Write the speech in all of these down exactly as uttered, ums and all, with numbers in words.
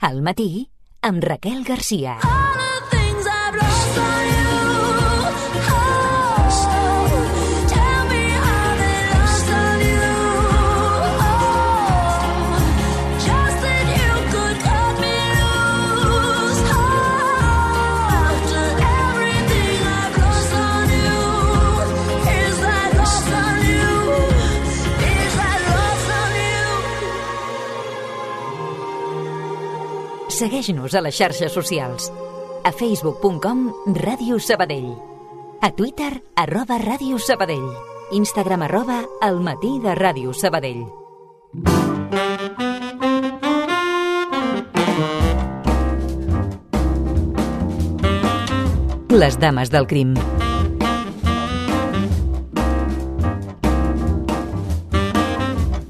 Al matí, amb Raquel Garcia. Segueix-nos a les xarxes socials. A facebook punt com Ràdio Sabadell. A Twitter, arroba Ràdio Sabadell. Instagram, arroba El matí de Ràdio Sabadell. Les dames del crim.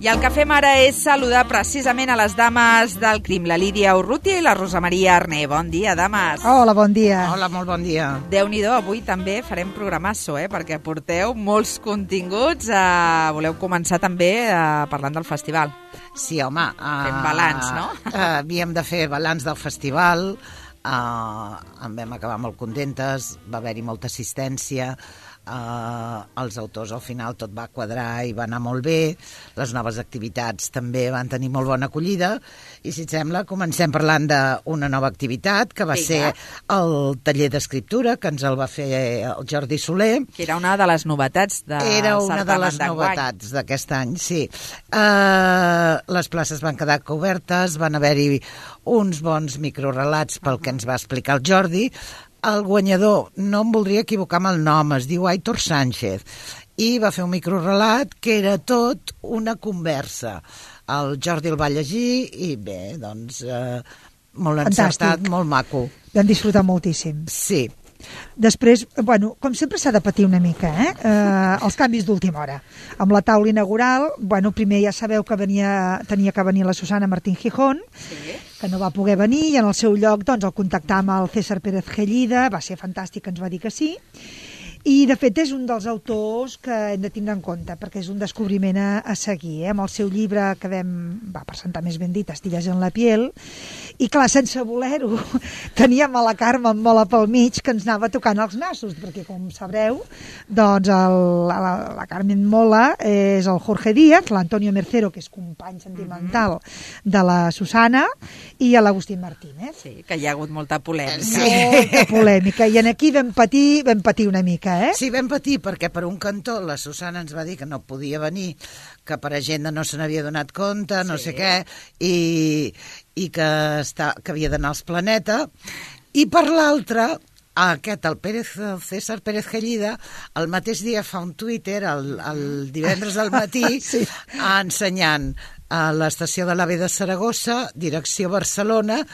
I el que fem ara és saludar precisament a les dames del crim, la Lídia Urrutia i la Rosa Maria Arné. Bon dia, dames. Hola, bon dia. Hola, molt bon dia. Déu-n'hi-do, avui també farem programasso, eh? Perquè porteu molts continguts. Eh, voleu començar també eh, parlant del festival. Sí, home. Uh, Fem balanç, no? Uh, havíem de fer balanç del festival. Uh, en vam acabar molt contentes, va haver-hi molta assistència. Uh, els autors al final tot va quadrar i va anar molt bé, les noves activitats també van tenir molt bona acollida i si et sembla comencem parlant d'una nova activitat que va sí, ser el taller d'escriptura que ens el va fer el Jordi Soler, que era una de les novetats de era una de les novetats d'aquest any, sí. Uh, les places van quedar cobertes, van haver-hi uns bons microrelats pel que ens va explicar el Jordi. El guanyador, no em voldria equivocar amb el nom, es diu Aitor Sánchez, i va fer un microrelat que era tot una conversa. El Jordi el va llegir i bé, doncs, eh, molt encertat, fantàstic. Molt maco. Vam disfrutar moltíssim. Sí. Després, bueno, com sempre s'ha de patir una mica, eh? eh els canvis d'última hora. Amb la taula inaugural, bueno, primer ja sabeu que venia, tenia que venir la Susana Martín Gijón, sí, que no va poder venir, i en el seu lloc doncs, el contactam amb el César Pérez Gellida, va ser fantàstic, ens va dir que sí, i de fet és un dels autors que hem de tindre en compte, perquè és un descobriment a, a seguir, eh? Amb el seu llibre que vam va presentar, més ben dit, Astillas en la piel, i clar, sense voler-ho, teníem a la Carme molt a pel mig que ens anava tocant els nassos, perquè com sabreu, doncs el, la, la Carmen Mola és el Jorge Díaz, l'Antonio Mercero, que és company sentimental de la Susana, i l'Agustín Martínez. Sí, que hi ha hagut molta polèmica. Sí. Molta polèmica, i en aquí vam patir, vam patir una mica. Eh? Sí, vam patir perquè per un cantó la Susana ens va dir que no podia venir, que per agenda no se n'havia donat compte, no sí. sé què, i, i que, està, que havia d'anar als Planeta, i per l'altra, aquest, el, Pérez, el César Pérez Gellida, el mateix dia fa un Twitter, el, el divendres al matí, sí. ensenyant a l'estació de l'AVE de Saragossa, direcció Barcelona,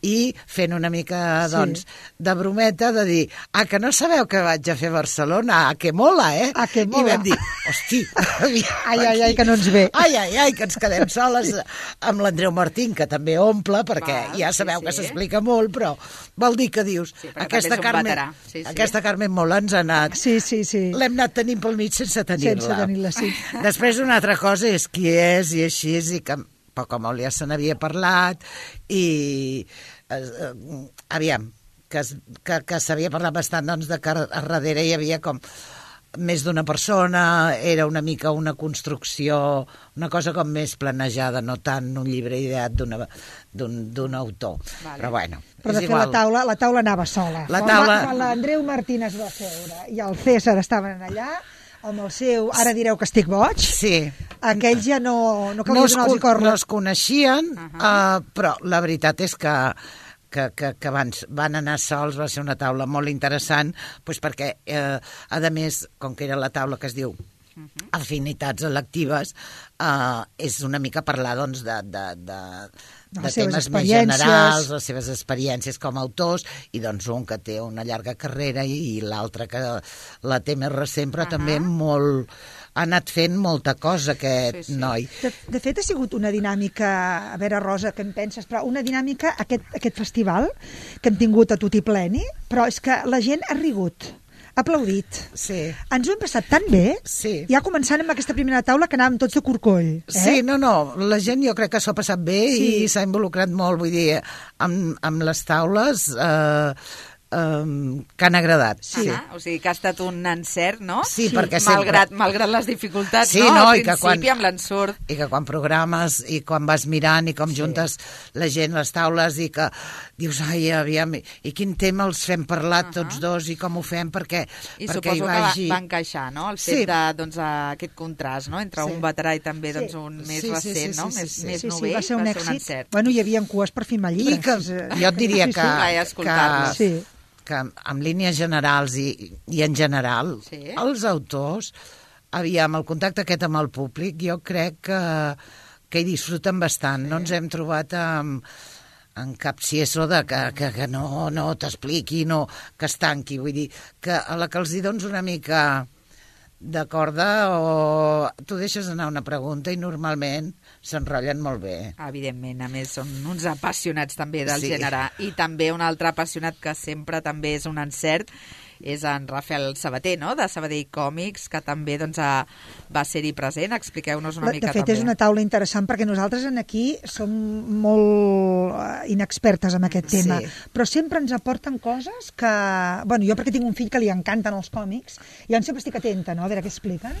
i fent una mica, doncs, sí. de brometa, de dir, ah, que no sabeu que vaig a fer a Barcelona? Ah, que mola, eh? Ah, que mola. I vam dir, hosti, ai, ai, ai, que no ens ve. Ai, ai, ai, que ens quedem soles amb l'Andreu Martín, que també omple, perquè Va, ja sabeu sí, sí. que s'explica molt, però vol dir que dius, sí, aquesta, Carmen, sí, sí. aquesta Carmen Mola ens ha anat... Sí, sí, sí. L'hem anat tenint pel mig sense tenir-la. Sense tenir-la, sí. Després una altra cosa és qui és i així, i que poc o molt ja se n'havia parlat, i... Uh, aviam, que, que, que s'havia parlat bastant, doncs, de que a darrere hi havia com més d'una persona, era una mica una construcció, una cosa com més planejada, no tant un llibre ideat d'un autor. Vale. Però bueno, Però de és fet igual. la taula, la taula anava sola. La taula... Quan l'Andreu Martín es va seure i el César estaven allà, amb el seu, ara direu que estic boig, sí. aquells ja no, no calia no donar-los corda. No es coneixien, uh -huh. uh, però la veritat és que que, que, que abans van anar sols, va ser una taula molt interessant, doncs perquè, eh, a més, com que era la taula que es diu afinitats electives, eh, és una mica parlar, doncs, de... de, de de temes més generals, les seves experiències com a autors, i doncs un que té una llarga carrera i, i l'altre que la té més recent, però uh -huh. també molt... ha anat fent molta cosa aquest sí, sí. noi. De, de fet, ha sigut una dinàmica, a veure, Rosa, què en penses, però una dinàmica, aquest, aquest festival, que hem tingut a tutti pleni, però és que la gent ha rigut. aplaudit. Sí. Ens ho hem passat tan bé, Sí. ja començant amb aquesta primera taula que anàvem tots de corcoll. Eh? Sí, no, no, la gent jo crec que s'ho ha passat bé Sí. i s'ha involucrat molt, vull dir, amb, amb les taules eh, um, que han agradat. Sí. Ah, o sigui que ha estat un encert, no? Sí, sí. perquè sempre... Malgrat, malgrat les dificultats, Sí, no? no, Al i que principi, quan- amb l'ensurt. I que quan programes i quan vas mirant i com juntes la gent, les taules, i que dius, ai, aviam, i quin tema els fem parlar Uh-huh. tots dos i com ho fem perquè, I perquè hi suposo vagi... que va, va encaixar, no?, el fet Sí. de, doncs, aquest contrast, no?, entre Sí. un veterà i també, Sí. doncs, un més Sí, sí, recent, sí, no?, sí, sí, més, sí. més Sí, sí, novell, va ser un èxit. encert. Bueno, hi havia cues per firmar llibres. I que Eh, jo et diria sí, que, sí. Vaig que, escoltar-los. Sí. que en línies generals i, i en general, Sí. els autors, aviam, el contacte aquest amb el públic, jo crec que, que hi disfruten bastant. No ens hem trobat amb, en cap cieso de que, que, que no, no t'expliqui, no, que es tanqui. Vull dir, que a la que els hi dones una mica de corda o tu deixes anar una pregunta i normalment s'enrotllen molt bé. Evidentment, a més, són uns apassionats també del Sí. gènere. I també un altre apassionat que sempre també és un encert és en Rafael Sabater, no?, de Sabadell Còmics, que també doncs, ha, va ser-hi present. Expliqueu-nos una De mica fet, també. és una taula interessant perquè nosaltres en aquí som molt eh, inexpertes en aquest tema, Sí. però sempre ens aporten coses que... Bueno, jo perquè tinc un fill que li encanten els còmics, i jo sempre estic atenta, no?, a veure què expliquen,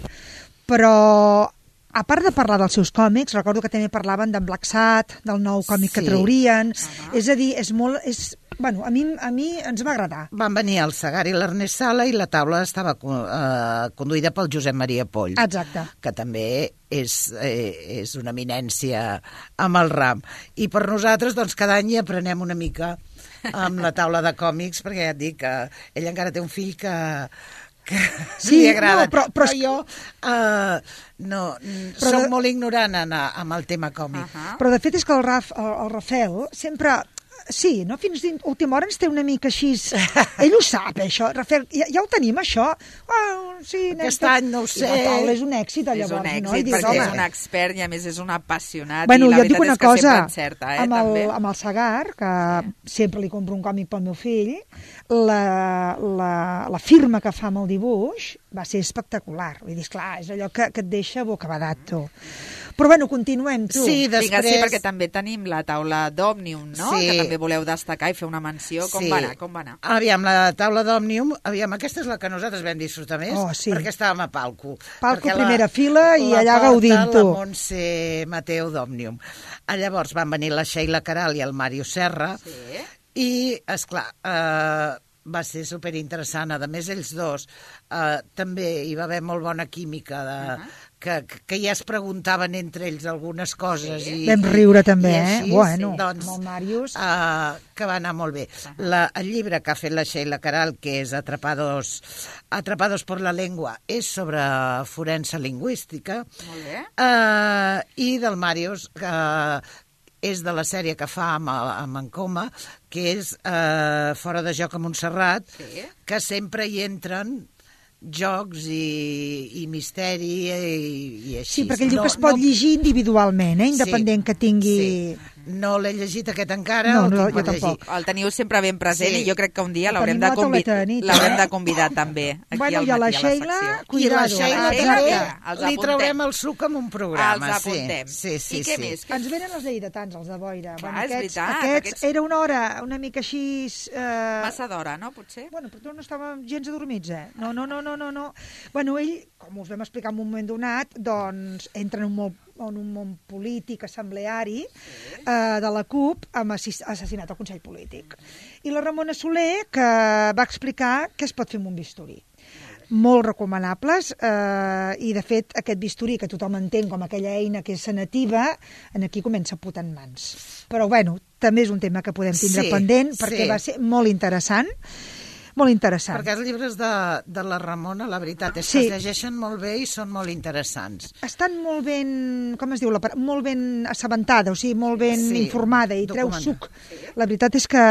però a part de parlar dels seus còmics, recordo que també parlaven d'en Black Sat, del nou còmic que Sí. traurien, Uh-huh. és a dir, és molt... És, bueno, a mi, a mi ens va agradar. Van venir el Segar i l'Ernest Sala i la taula estava eh, conduïda pel Josep Maria Poll. Exacte. Que també és, eh, és una eminència amb el ram. I per nosaltres, doncs, cada any hi aprenem una mica amb la taula de còmics, perquè ja et dic que ell encara té un fill que, que Sí, li agrada. no, però- però és- jo eh, no, Però soc de- molt ignorant en, amb el tema còmic. Ahà. Però de fet és que el, Raf, el, el Rafael sempre... Sí, no? Fins d'última hora ens té una mica així... Ell ho sap, això. Rafael, ja, ja ho tenim, això? Oh, sí, nen, Aquest tot- any no ho I sé. la taula és un èxit, És llavors, un èxit, no? I dius, perquè és home, un expert i a més és un apassionat Bueno, i la jo et dic veritat una és que cosa, sempre encerta, eh, amb, el, també. amb el Segar, que sempre li compro un còmic pel meu fill, la, la, la firma que fa amb el dibuix va ser espectacular. Vull dir, esclar, és allò que, que et deixa bocabadat, tu. Però bueno, continuem, tu. Sí, Vinga, després... sí, perquè també tenim la taula d'Òmnium, no?, Sí. que també voleu destacar i fer una menció. Com Sí. va anar? Com va anar? Aviam, la taula d'Òmnium, aviam, aquesta és la que nosaltres vam disfrutar més, Oh, sí. perquè estàvem a palco. Palco, Perquè primera fila, i allà porta gaudint, tu. la Montse Mateu d'Òmnium. Ah, llavors van venir la Sheila Caral i el Mario Serra, Sí. i, esclar, eh, va ser superinteressant. A més, ells dos eh, també hi va haver molt bona química de... Uh -huh. Que, que ja es preguntaven entre ells algunes coses. Sí. I, Vam riure també, i eh? així, Bueno, doncs, amb el Màrius. Uh, que va anar molt bé. La, el llibre que ha fet la Sheila Caral, que és Atrapados, Atrapados por la Lengua, és sobre forense lingüística. Molt bé. Uh, I del Màrius, que és de la sèrie que fa amb, amb en Coma, que és uh, Fora de joc a Montserrat, Sí. que sempre hi entren jocs i, i misteri i, i així. Sí, perquè ell diu que es pot llegir individualment, eh? Independent que tingui... Sí. No l'he llegit aquest encara, No, el no, tinc jo per llegir. tampoc. El teniu sempre ben present Sí. i jo crec que un dia El l'haurem tenim de, a la convi tauleta de nit, l'haurem eh? de convidar també aquí Bueno, al i a la matí a la Sheila, secció. I cuidado. la Sheila La Sheila, també mira, els li apuntem. traurem el suc amb un programa. Els apuntem. Sí, sí, I què sí. més? Ens venen els lleidatans, els de boira. Clar, Bueno, és aquests, veritat, aquests, aquests- era una hora una mica així... Eh... Massa d'hora, no, potser? Bueno, però no estàvem gens adormits, eh? No, no, no, no, no, no. Bueno, ell, com us vam explicar en un moment donat, doncs entra en un món, en un món polític, assembleari, sí. eh, de la CUP, amb assis- assassinat al Consell Polític. I la Ramona Soler, que va explicar què es pot fer amb un bisturí. Molt recomanables, eh, i de fet aquest bisturí, que tothom entén com aquella eina que és sanativa, en aquí comença a putar en mans. Però bueno, també és un tema que podem tindre Sí, pendent, perquè sí. va ser molt interessant, molt interessant. Perquè els llibres de, de la Ramona, la veritat, és Sí. que es llegeixen molt bé i són molt interessants. Estan molt ben, com es diu, la, par- molt ben assabentada, o sigui, molt ben Sí, informada i treu documentada. suc. La veritat és que,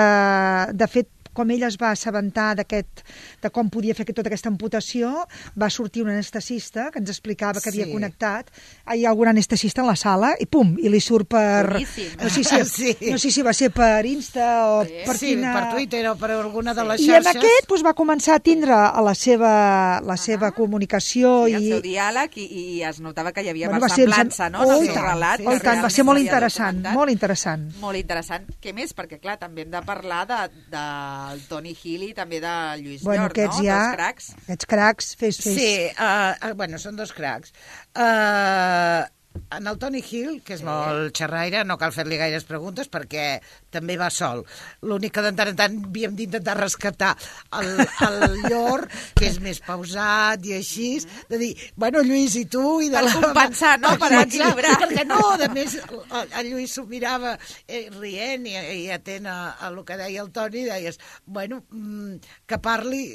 de fet, com ella es va assabentar d'aquest, de com podia fer tota aquesta amputació, va sortir un anestesista que ens explicava que havia Sí. connectat. Hi ha algun anestesista en la sala i pum, i li surt per... Boníssim. No sé si, Sí. no sé si va ser per Insta o Sí. per Sí, quina... per Twitter o per alguna de les I amb xarxes. aquest doncs, va començar a tindre a la seva, la seva comunicació Sí, el i... seu diàleg i, i es notava que hi havia Bueno, va ser- versemblança, no? Oh, En i el seu tant, relat. sí, oh, que i tant, va realment ser molt s'havia interessant, documentat. molt interessant. Molt interessant. Què més? Perquè, clar, també hem de parlar de, del Tony Hill i també de Lluís Bueno, Llor, aquests no? ja... Dos cracs. Aquests cracs, fes, fes. Sí, uh, uh, bueno, són dos cracs. Uh, en el Tony Hill, que és molt xerraire, no cal fer-li gaires preguntes perquè també va sol. L'únic que de tant en tant havíem d'intentar rescatar el, el Llor, que és més pausat i així, de dir, bueno, Lluís, i tu? I de Per la... compensar, no? Per equilibrar. Perquè no, a més, el, el Lluís s'ho mirava eh, rient i, i atent a, a el que deia el Toni, deies, bueno, mm, que parli,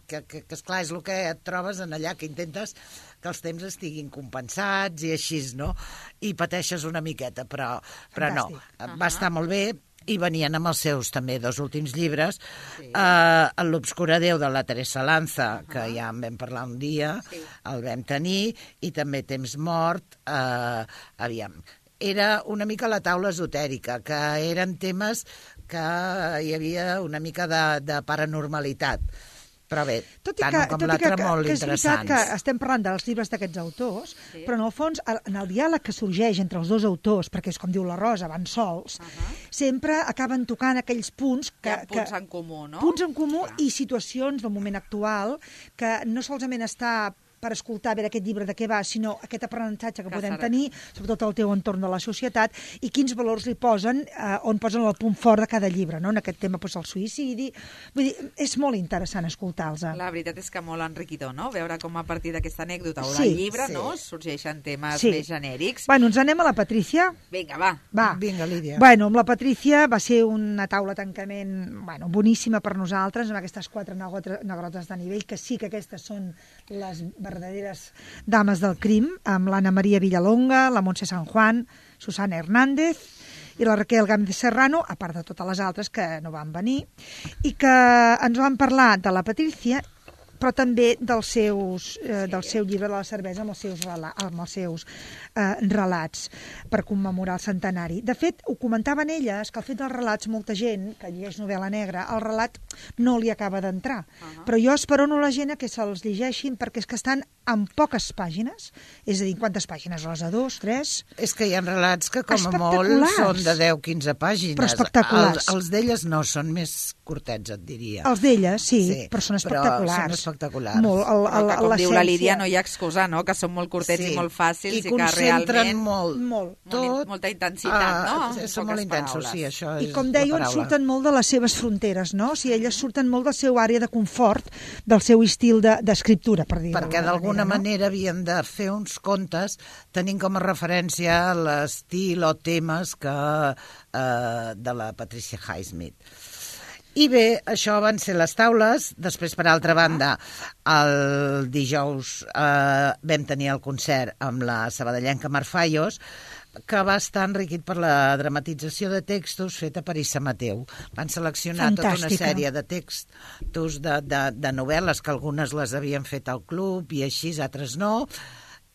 que, que, que esclar, és el que et trobes en allà, que intentes que els temps estiguin compensats i així, no? I pateixes una miqueta, però, però no, Fantàstic. va estar molt bé i venien amb els seus també dos últims llibres, sí. eh, l'Obscura Déu de la Teresa Lanza, uh -huh. que ja en vam parlar un dia, sí. el vam tenir, i també Temps mort, eh, aviam, era una mica la taula esotèrica, que eren temes que hi havia una mica de, de paranormalitat. Però bé, Tot i tant que, un com tot i que, l'altre que, molt que és veritat interessants. que estem parlant dels llibres d'aquests autors, Sí. però en el fons, el- en el diàleg que sorgeix entre els dos autors, perquè és com diu la Rosa, van sols, Uh-huh. sempre acaben tocant aquells punts Hi que... ha punts que, en comú, no? punts en comú Clar. i situacions del moment actual que no solament està per escoltar a veure aquest llibre de què va, sinó aquest aprenentatge que, Que podem serà. tenir, sobretot al teu entorn de la societat, i quins valors li posen, eh, on posen el punt fort de cada llibre, no? En aquest tema, doncs, el suïcidi... Vull dir, és molt interessant escoltar-los. La veritat és que molt enriquidor, no? Veure com a partir d'aquesta anècdota o Sí, del llibre, sí. no?, sorgeixen temes Sí. més genèrics. Bueno, ens anem a la Patrícia. Vinga, va. Va. Vinga, Lídia. Bueno, amb la Patrícia va ser una taula de tancament, bueno, boníssima per nosaltres, amb aquestes quatre negotre- negrotes de nivell, que sí que aquestes són les verdaderes dames del crim, amb l'Anna Maria Villalonga, la Montse San Juan, Susana Hernández i la Raquel Gámez Serrano, a part de totes les altres que no van venir, i que ens van parlar de la Patrícia, però també dels seus, eh, del seu llibre de la cervesa amb els seus, rela amb els seus eh, relats per commemorar el centenari. De fet, ho comentaven elles, que el fet dels relats, molta gent que llegeix novel·la negra, el relat no li acaba d'entrar. Uh -huh. Però jo esperono la gent a que se'ls llegeixin perquè és que estan en poques pàgines, és a dir, quantes pàgines? Les de dos, tres? És que hi ha relats que com a molt Espectaculars. són de deu a quinze pàgines. Però espectaculars. Els, els d'elles no, són més curtets, et diria. Els d'elles, sí, Sí, però són però espectaculars. són espectaculars. Molt, el, Però el, que, com diu la l'essència. Lídia, no hi ha excusa, no?, que són molt curtets Sí. i molt fàcils I i, que concentren realment... molt, Molt. tot. Molta intensitat, no? Uh, En són poques molt intensos, paraules. sí, això és I com la dèieu, en paraula. surten molt de les seves fronteres, no? O sigui, elles surten molt del seu àrea de confort, del seu estil de- d'escriptura, per dir-ho Perquè d'alguna manera havien de fer uns contes tenint com a referència l'estil o temes que, eh, de la Patricia Highsmith. I bé, això van ser les taules. Després, per altra banda, el dijous eh, vam tenir el concert amb la sabadellenca Marfallos, que va estar enriquit per la dramatització de textos feta per Issa Mateu. Van seleccionar tota una Fantàstica. sèrie de textos de, de, de novel·les, que algunes les havien fet al club i així, altres no,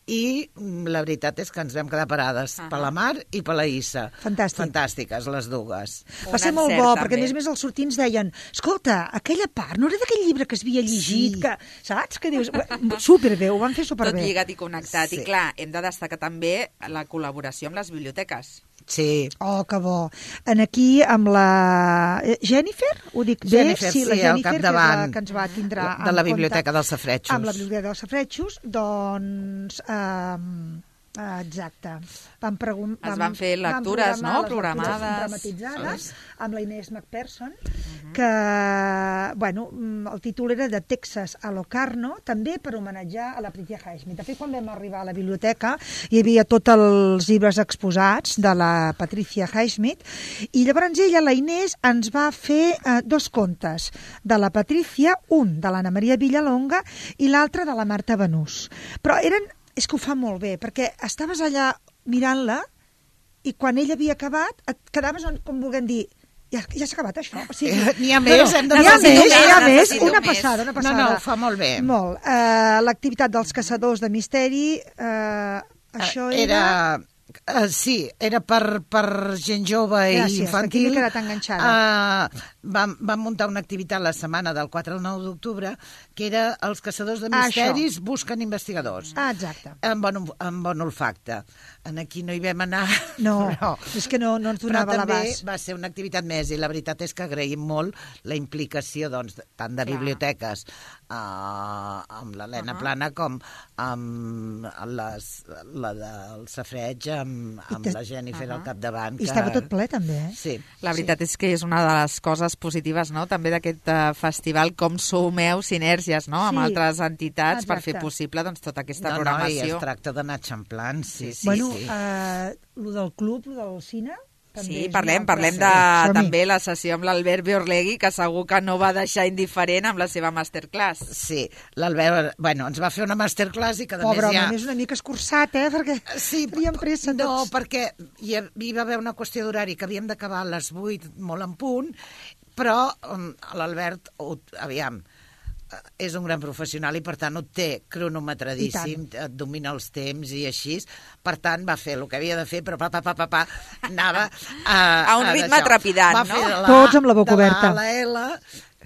i mm, la veritat és que ens vam quedar parades Ah. per la Mar i per la Issa. Fantàstic. Fantàstiques, les dues. Un Va ser molt encert, bo, també. perquè a més a més els sortints deien escolta, aquella part no era d'aquell llibre que es havia llegit, Sí. que, saps? Que dius, superbé, ho van fer Tot superbé. lligat i connectat. Sí. I clar, hem de destacar també la col·laboració amb les biblioteques. Sí, Oh, que bo. En aquí, amb la... eh, Jennifer, ho dic bé? Jennifer, sí, la sí, al Jennifer, que és capdavant la que ens va tindre de en la compte Biblioteca dels Safaretjos. Amb la Biblioteca dels Safaretjos, doncs... Um, exacte. Vam pregun- Es van fer lectures, programar no? les Programades. lectures dramatitzades amb la Inés McPherson, que, bueno, mm, el títol era de Texas a Locarno, també per homenatjar a la Patricia Highsmith. De fet, quan vam arribar a la biblioteca hi havia tots els llibres exposats de la Patricia Highsmith i llavors ella, la Inés, ens va fer eh, dos contes de la Patricia, un de l'Anna Maria Villalonga i l'altre de la Marta Benús. Però eren, és que ho fa molt bé, perquè estaves allà mirant-la i quan ella havia acabat et quedaves, on- com vulguem dir, Ja, ja s'ha acabat això. O sigui, Eh, n'hi ha més, hem de N'hi ha necessito més, més, n'hi ha més. necessito Una més. passada, una No, passada. no, ho fa molt bé. Molt. Uh, L'activitat dels caçadors de misteri, uh, això era... Era... Uh, sí, era per, per gent jove i Gràcies, infantil. perquè m'he quedat enganxada. Uh, vam, vam muntar una activitat la setmana del quatre al nou d'octubre que era els caçadors de Ah, misteris busquen investigadors. Ah, exacte. Amb bon, amb bon olfacte. En aquí no hi vam anar. No, però, és que no, no ens però donava també l'abast. va ser una activitat més i la veritat és que agraïm molt la implicació doncs, tant de Clar. biblioteques uh, amb l'Helena Uh -huh. Plana com amb les, la del Safreig amb, amb te- la Jennifer Uh-huh. al capdavant. I estava tot ple, també, eh? Sí. La veritat és que és una de les coses positives, no?, també d'aquest uh, festival, com sumeu sinergies, no?, amb Sí. altres entitats per Exacte. fer possible doncs, tota aquesta no, no, i programació. es tracta d'anar xamplant, sí, sí. bueno, sí. eh, lo del club, lo del cine... també Sí, és parlem, una parlem de altra- Som-hi. també la sessió amb l'Albert Biorlegui, que segur que no va deixar indiferent amb la seva masterclass. Sí, l'Albert, bueno, ens va fer una masterclass i que a Pobre més home, ja... és una mica escurçat, eh? Perquè Sí, teníem pressa no, tots. perquè hi, ha- hi va haver una qüestió d'horari que havíem d'acabar a les vuit, molt en punt, però um, l'Albert, ho- aviam, eh, és un gran professional i per tant ho té cronometradíssim, et domina els temps i així, per tant va fer el que havia de fer, però pa, pa, pa, pa, pa anava a, A un ritme d'això. trepidant, Va no? fer de la, Tots amb la boca de oberta. A a la L,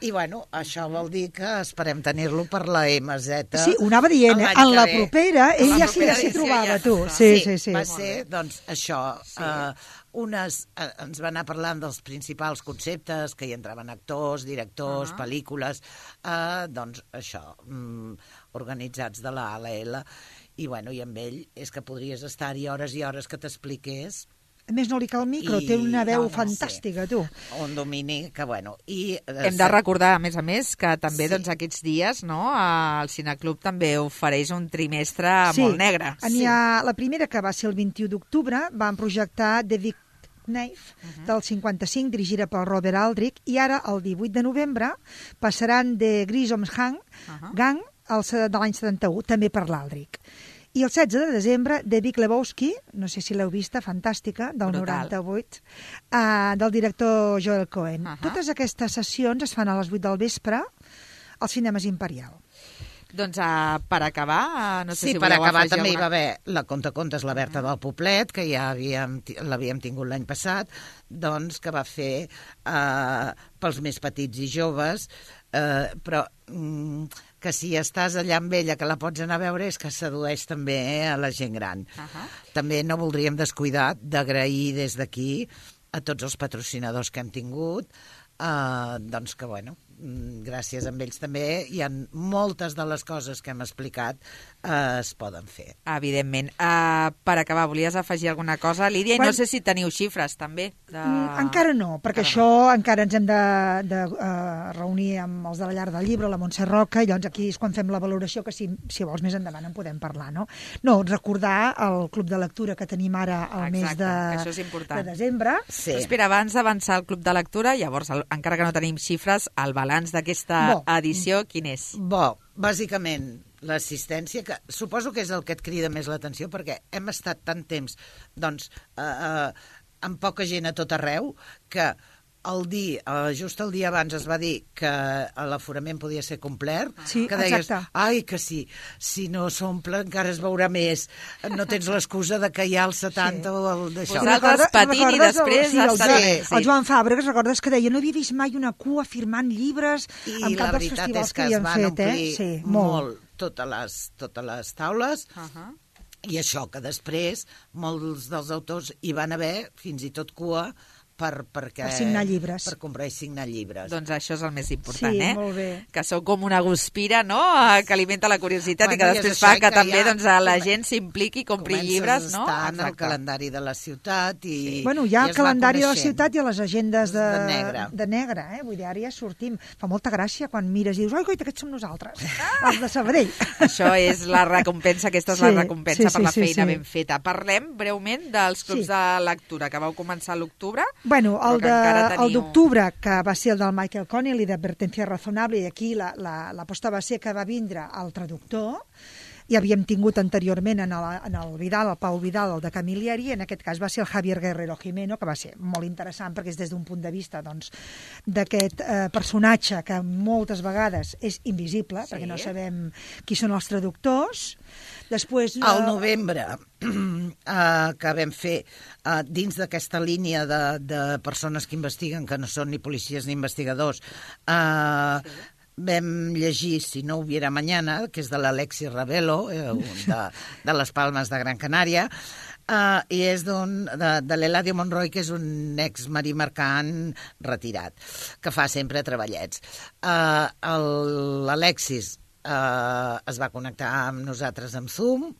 i bueno, això vol dir que esperem tenir-lo per la M Z. Sí, ho anava dient, eh? l'any En que la ve. propera, ell En la ja s'hi propera ja s'hi edició trobava, ja tu. està. Sí, sí, sí. Va ser, doncs, això. Sí. Uh, unes, uh, ens va anar parlant dels principals conceptes, que hi entraven actors, directors, uh Ah. -huh. pel·lícules, uh, doncs això, um, organitzats de la A a la L. I, bueno, i amb ell és que podries estar-hi hores i hores que t'expliqués. A més, no li cal micro, I- té una veu no, no, fantàstica, tu. Un domini que, bueno... I, uh, Hem de recordar, a més a més, que també Sí. doncs, aquests dies no, el Cineclub també ofereix un trimestre Sí, molt negre. N'hi ha la primera, que va ser el vint-i-u d'octubre, van projectar The Big Knife, Mhm. del cinquanta-cinc, dirigida pel Robert Aldrich, i ara, el divuit de novembre, passaran The Grisom's Gang, Ahà. Gang el, se- de l'any setanta-u, també per l'Aldrich. I el setze de desembre, The Big Lebowski, no sé si l'heu vista, fantàstica, del Brutal. noranta-vuit, uh, del director Joel Cohen. Ahà. Totes aquestes sessions es fan a les vuit del vespre als Cinemes Imperial. Doncs uh, per acabar, uh, no sé Sí, si per voleu acabar afegir també hi va alguna... haver la contacontes, la Berta del Poblet, que ja havíem, ti- l'havíem tingut l'any passat, doncs que va fer eh, pels més petits i joves, eh, però mm, que si estàs allà amb ella, que la pots anar a veure, és que sedueix també eh, a la gent gran. Ahà. També no voldríem descuidar d'agrair des d'aquí a tots els patrocinadors que hem tingut, eh, doncs que, bueno, mm, gràcies a ells també hi ha moltes de les coses que hem explicat eh, es poden fer. Evidentment. Uh, per acabar, volies afegir alguna cosa, Lídia? I Bueno, no sé si teniu xifres, també. De... Mm, encara no, perquè Encara això encara ens hem de, de uh, reunir amb els de la Llar del Llibre, la Montse Roca, i llavors aquí és quan fem la valoració, que si, si vols més endavant en podem parlar, no? No, recordar el club de lectura que tenim ara al Exacte, mes de, que això és important. de desembre. Sí. Però espera, abans d'avançar al Club de Lectura, llavors, el, encara que no tenim xifres, el balanç d'aquesta Bo. edició, quin és? Bo, bàsicament, l'assistència, que suposo que és el que et crida més l'atenció, perquè hem estat tant temps, doncs, eh, eh, amb poca gent a tot arreu, que el dia, eh, just el dia abans es va dir que l'aforament podia ser complet, Sí, que deies, exacte. ai, que sí, si no s'omple encara es veurà més, no tens l'excusa de que hi ha el setanta sí. o el d'això. Vosaltres patint i després sí, el, estar Joan, bé, sí. el Joan Fàbregas, recordes que deia, no havia vist mai una cua firmant llibres I en la cap dels veritat festivals és que es havien van fet, omplir eh? Sí, molt, molt. totes, les, totes les taules, Uh -huh. i això que després molts dels autors hi van haver fins i tot cua per, perquè, Per signar llibres. per comprar i signar llibres. Doncs això és el més important, Sí, eh? molt bé. Que sou com una guspira, no?, que alimenta la curiositat Bueno, i que i és després això, fa i que, que també ja doncs, la come- gent s'impliqui i compri Comences llibres, no? a estar en el Exacte. calendari de la ciutat i... Bueno, hi ha i el es va calendari de la coneixent. ciutat i a les agendes de, De negre. de negre, eh? Vull dir, ara ja sortim. Fa molta gràcia quan mires i dius, oi, coita, aquests som nosaltres, els de Sabadell. Això és la recompensa, aquesta és Sí, la recompensa sí, per la sí, sí, feina sí. ben feta. Parlem breument dels clubs Sí. de lectura que vau començar a l'octubre. Bueno, Però el que encara de- teniu- el d'octubre, que va ser el del Michael Connelly, d'Advertencia Razonable, i aquí la, la, l'aposta va ser que va vindre el traductor, i havíem tingut anteriorment en el, en el Vidal, el Pau Vidal, el de Camilleri, i en aquest cas va ser el Javier Guerrero Jimeno, que va ser molt interessant perquè és des d'un punt de vista doncs, d'aquest eh, personatge que moltes vegades és invisible, sí. perquè no sabem qui són els traductors. Després, al novembre, eh, que vam fer eh, dins d'aquesta línia de, de persones que investiguen, que no són ni policies ni investigadors, eh, sí. vam llegir Si no hubiera mañana, que és de l'Alexis Ravelo, eh, de, de les Palmes de Gran Canària, Uh, i és d'un, de, de l'Eladio Monroy, que és un ex-marí mercant retirat, que fa sempre treballets. Uh, L'Alexis uh, es va connectar amb nosaltres amb Zoom,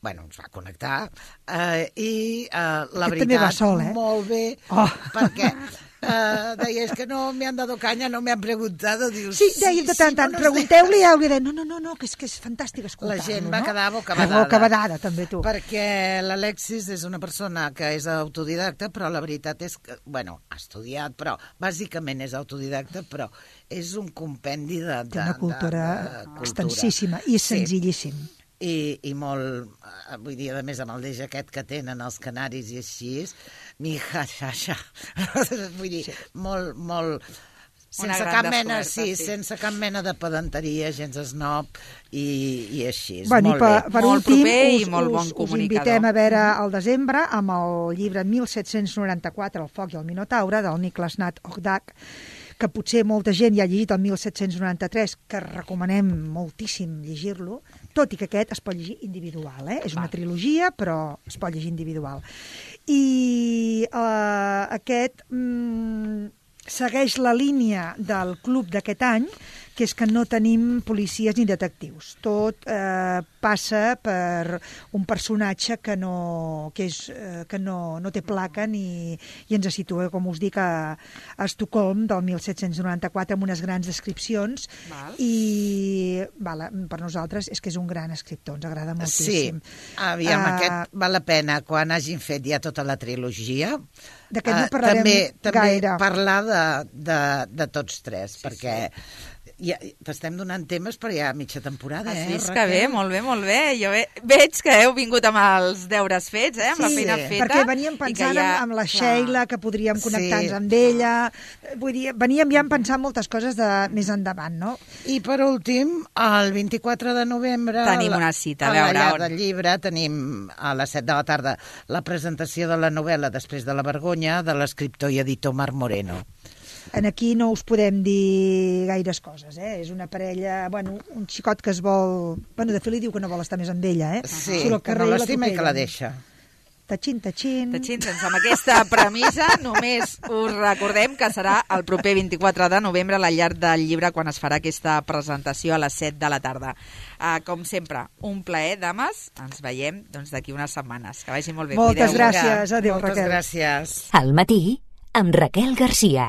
bueno, ens va connectar, uh, i uh, la Aquest veritat, va sol, eh? molt bé, oh. perquè uh, deia, és que no me han dado caña, no me han preguntado. Dius, sí, deia de tant, sí, tant, no pregunteu-li i hauria de no, no, no, no, que és, que és fantàstic escoltar-lo. La gent va no? quedar bocabadada. Bocabadada, també tu. Perquè l'Alexis és una persona que és autodidacta, però la veritat és que, bueno, ha estudiat, però bàsicament és autodidacta, però és un compendi de, de, Té una cultura, de, de cultura. extensíssima i senzillíssim. Sí. I, i molt, vull dir, a més, amb el deix aquest que tenen els canaris i així, mi ja, ja, ja. Vull dir, sí. molt, molt... Sense cap mena, sí, sí, sense cap mena de pedanteria, gens esnob i, i així. Bueno, molt per, bé. per molt últim, proper us, i molt bon us, comunicador. Us invitem a veure al desembre amb el llibre mil set-cents noranta-quatre, El foc i el Minotaure, del Niklas Nat Ogdak, que potser molta gent ja ha llegit el mil set-cents noranta-tres, que recomanem moltíssim llegir-lo, tot i que aquest es pot llegir individual. Eh? És una trilogia, però es pot llegir individual. I uh, aquest mm, segueix la línia del club d'aquest any, que és que no tenim policies ni detectius. Tot eh, passa per un personatge que no, que és, eh, que no, no té placa ni, i ens situa, com us dic, a, a Estocolm del mil set-cents noranta-quatre amb unes grans descripcions. Val. I val, per nosaltres és que és un gran escriptor, ens agrada moltíssim. Sí, aviam, uh, aquest val la pena quan hagin fet ja tota la trilogia. D'aquest no parlarem uh, també, també gaire. Parlar de, de, de tots tres, sí, perquè... Sí. Ja, t'estem donant temes per ja mitja temporada, Has eh, vist Raquel? que bé, molt bé, molt bé. Jo ve, veig que heu vingut amb els deures fets, eh, amb sí, la feina feta. Perquè veníem pensant ja, amb la Sheila, que podríem connectar-nos sí, amb ella. Vull dir, veníem ja pensant moltes coses de més endavant, no? I per últim, el vint-i-quatre de novembre... Tenim una cita, a veure, veure a la on. llar del llibre tenim a les set de la tarda la presentació de la novel·la Després de la vergonya de l'escriptor i editor Marc Moreno. En aquí no us podem dir gaires coses, eh? És una parella, bueno, un xicot que es vol... Bueno, de fet li diu que no vol estar més amb ella, eh? Sí, que no l'estima i que la deixa. Tachín, tachín. Tachín, doncs amb aquesta premissa només us recordem que serà el proper vint-i-quatre de novembre a la llar del llibre quan es farà aquesta presentació a les set de la tarda. Uh, com sempre, un plaer, dames. Ens veiem doncs, d'aquí unes setmanes. Que vagi molt bé. Moltes Cuideu. gràcies. Adéu, Moltes Raquel. gràcies. Al matí, amb Raquel Garcia.